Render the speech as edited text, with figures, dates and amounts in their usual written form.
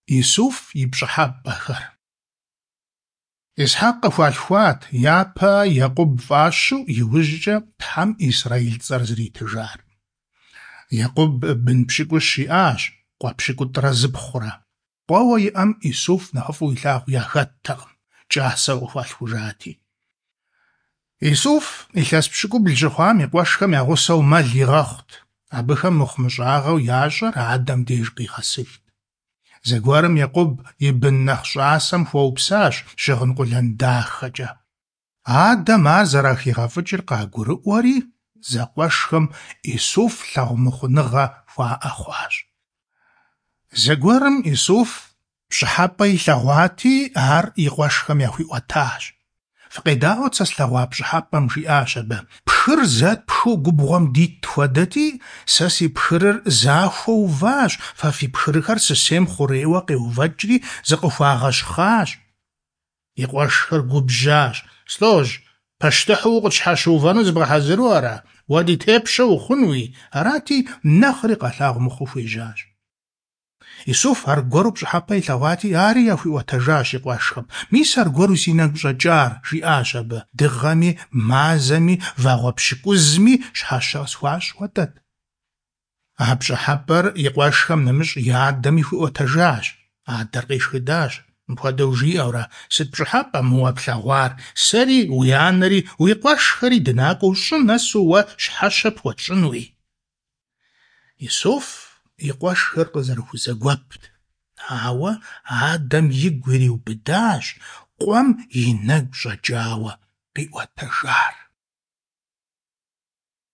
Исуф и пщӏыхьэпӏэхэр. Исхьэкъ къыхуалъхуат япэ Екъуб фӀащу, иужькӀэ Тхьэм Исраил цӀэр зритыжар. Екъуб бын пщыкӀущ иӀащ, къуэ пщыкӀутӀрэ зыпхъурэ. Къуэуэ иӀэм Исуф нэхъыфӀу илъагъу яхэттэкъым, кӀасэу къыхуалъхужати. Исуф илъэс пщыкӀубл щыхъуам и къуэшхэм я гъусэу мэл игъэхъут, абыхэм мыхъумыщӀагъэу ящӀэр адэм деж къигъэсыжт. Зэгуэрым Екъуб и бын нэхъ щӀасэм хуэупсащ щыгъын къулэн дахэкӀэ. Адэм ар зэрахигъэфӀыкӀыр къагурыӀуэри, зэкъуэшхэм Исуф лъагъумыхъуныгъэ хуаӀэ хъуащ. Зэгуэрым Исуф пщӀыхьэпӀэ илъэгъуати, ар и къуэшхэм яхуиӀуэтащ. ФыкъедаӀуэт сэ слъэгъуа пщӀыхьэпӀэм, жиӀащ абы. Пхыр зэтпхыу губгъуэм дит хуэдэти, сэ си пхырыр захуэу уващ, фэ фи пхырхэр сысейм хъурейуэ къеувэкӀри зыкъыхуагъэщхъащ. И къуэшхэр губжьащ. СлӀожь, пащтыхьу укъытщхьэщыувэну зыбгъэхьэзыру ара? Уэ ди тепщэ ухъунуи? Арати, нэхъри къалъагъу мыхъуу хуежьащ. Исуф аргуэру пщӀыхьэпӀэ илъэгъуати, ари яхуиӀуэтэжащ и къуэшхэм. Мис аргуэру си нэгу щӀэкӀар, жиӀащ абы, дыгъэми, мазэми, вагъуэ пщыкӀузми щхьэщэ къысхуащӀ хуэдэт. А пщӀыхьэпӀэр и къуэшхэм нэмыщӀ и адэми хуиӀуэтэжащ. Адэр къешхыдащ, мыпхуэдэу жиӀэурэ, сыт пщӀыхьэпӀэ мы уэ плъэгъуар, сэри, уи анэри, уи къуэшхэри дынакӀуэу щӀым нэсу уэ щхьэщэ пхуэтщӀынуи? Исуф и къуэшхэр къызэрыхузэгуэпт, ауэ адэм игу ириубыдащ къуэм и нэгу щӀэкӀауэ къиӀуэтэжар.